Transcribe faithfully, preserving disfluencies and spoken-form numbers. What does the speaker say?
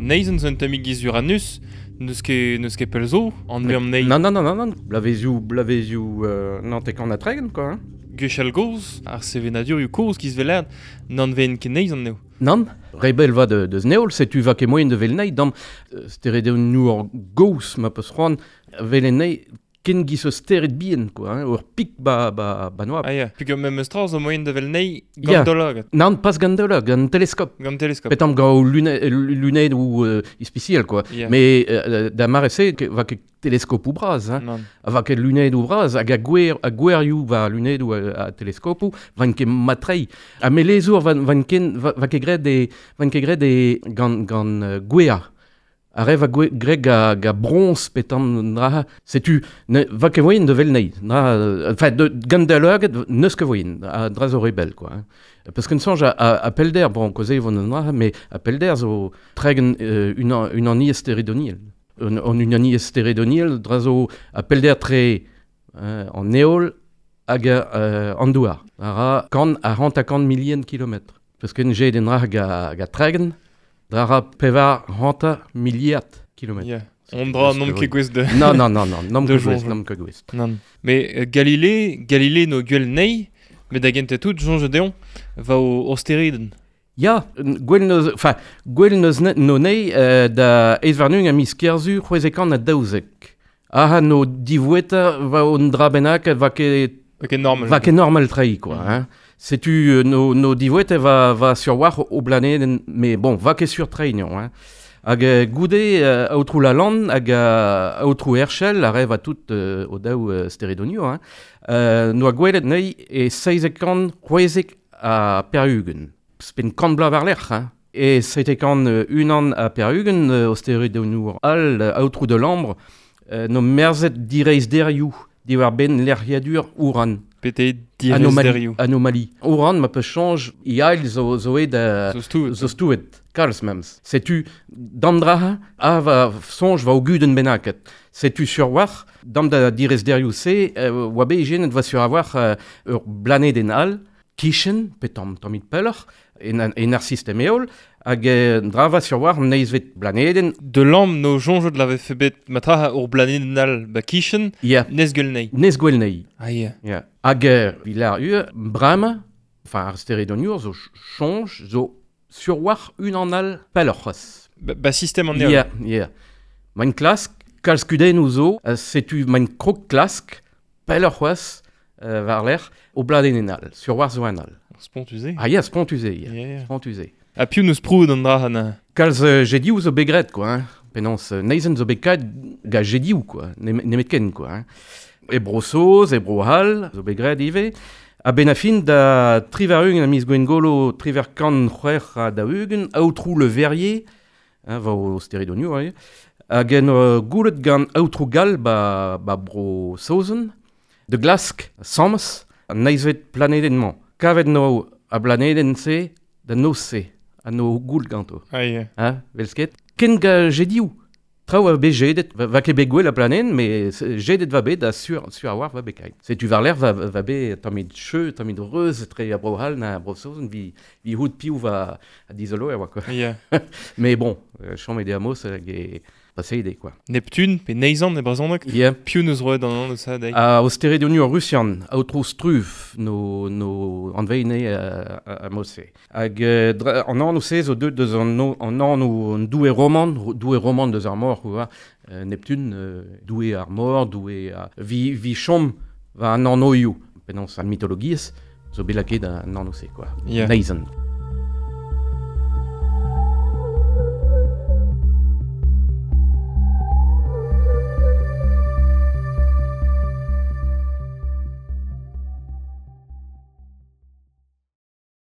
Neizhan zo un tammig giz Uranus, n'eus ket, n'eus ket pell zo, an veam nei. Non, non, non, non, non. Blavezioù, blavezioù, euh, nantek an ha tregont, quoi, hein. Gwechall gozh, ar sevenadurioù kozh kiz velad, n'an ven ket neizhan neo. Nann, rebel va de, deus neol, setu va ket moyen de vel nei, dam euh, steredennoù ar gozh ma peus c'hoant vel nei ken giz o stered bien, quoi, hein, ur pik ba, ba, ba noa. Ah ya, pik ur memes tra zo moyen de vel nei Ya. gant dolagad, Nann, pas gant dolagad, gant teleskop. gant teleskop. Petam gant lune, lunettes ou euh, ispiciel, quoi. Ya. Mais euh, da mare se, ke, va ket teleskop ou braz, hein. Nann. Va ket lunettes ou braz, hag a gwer, a gwerioù va lunettes ou a, a teleskopoù, van ket matrei. Ha melezour van, van ken, va, va ket graet e, van ket graet e gant, gant euh, gwea. Ar re va gwe, graet ga, ga bronz petam dra, setu, ne, va ket voyen de vel nei. Dra, euh, enfin, de, gant da leuget, neus ket voyen, a dra zo rebel, quoi. Hein. Parce qu'un songe a, a, a pelder, bon, koze vont an dra, mais a pelder zo tregen euh, unan, unan steredoniel. Un, an unan steredoniel, dra zo a pelder tre euh, an eol hag euh, an douar. A ra kant a rant a kant milien kilometr. Parce qu'un jet den dra ga, ga tregen, dra ra pevar ranta miliard kilometr. Ya. On dra nom ket gwez de... Non, non, non, non, nom De ket gwez, jonge. nom ket gwez. Nann. Mais euh, Galilée, Galilée no gwell nei, met da gente tout, jonge deon, va o, o stereden. Ya, gwell neus, enfin, gwell neus ne, no nei euh, da eizh warn-ugent a miz Kerzu c'hwezek an a daouzek. Aha no divoueta va on dra bennak va ket Ok, normal. va ket normal trei, quoi, Mhm. hein. Setu euh, no, no divoueta va, va sur war o blaneden, mais bon, va ket sur trei, non, hein. Hag euh, goude euh, aotrou Lalande hag euh, aotrou Herschel a rev a tout euh, o daou euh, steredonioù, hein. Euh, noa gwelet nei e seizek kant c'hwezek a pevar-ugent. Spen kant bloaz war-lerc'h, hein. E seizek kant euh, unan a pevar-ugent euh, o steredoniour all euh, aotrou de Lambre euh, no merzet direizh derioù diwar ben lec'hiadur Ouran. Pete direz Anomalie. derioù. Anomalie. Ouran ma peus chanj iail zo, zo e da... Zo stouet. Zo stouet, kalz memes. Setu dam dra a va sonj va o gudenn bennaket. Setu sur war, dam da direz derioù se, euh, oa bet ijenet va sur avoir euh, ur blaneden all, kichen, pe tamm tammit pelloc'h, en, en ar sistem eol, hag euh, dra va sur war neizvet blaneden. De Lambre no jonge de l'avait fait bet matraha ur blaneden all ba kichen, Ya, nez gwell nei. nez gwell nei. Ah ya. Ya. Hag euh, vilar ur, brama, enfin ar steredoniour zo chonj, zo sur war unan all pelloc'h c'hoazh. Ba, ba sistem an eol. Ya, ya. Main klask, kalz kudennoù zo, euh, setu main krog klask, pelloc'h c'hoazh, euh, war lec'h, o bladenn all, sur war zo an all. Spontusé. Ah ya, spontusé, ya. Ya, ya. Spontusé. Ha piv neus proud an dra na. Kalz euh, jedioù zo bet graet, quoi, hein. Penaos, euh, neizen zo bet kaet ga jedioù, quoi, nem- nemet ken, quoi, hein. E bro Saoz, e bro Hall, zo bet graet ivez. A ben a fin da trivar-ugent a miz Gwengolo, trivar kant c'hwec'h ha daou-ugent, aotrou Le Verrier, hein, va o steredoniour, hein, hag en euh, goulet gant aotrou Gall ba, ba bro Saozen, de glask, Sams, an neizvet planedenn-mañ. Kavet no a blanedenn-se da noz-se, a no goul ganto. Ah ya. Hein, velsket. Ken ga jedioù. Traoù a bet jedet, va, va ket bet gwell a planen, mais jedet va bet da sur, sur a war va bet kaet. Setu war lec'h va, va bet tammit cheu, tammit reuz, tre a bro Hall na bro Saozen, vi, vi houd piv va a dizolo e oa, quoi. Ya. Mais bon, euh, chom e de amos hag e paseide, quoi. Neptune, pe neizhan e brezhoneg. Yeah. Piv neus roet an an eus sa deiz. A o steredoniour russian, aotrou Struve, no, no anveine a, a, a mose. Hag euh, dra, an anv se zo deut deus an, no, an anv an doue roman, doue roman deus ar mor, quoi, euh, Neptune, euh, doue ar mor, doue a, vi, vi chom va an anv ioù. Penaos an mitologiezh, zo bet lakaet an anv se, quoi. Ya. Neizhan.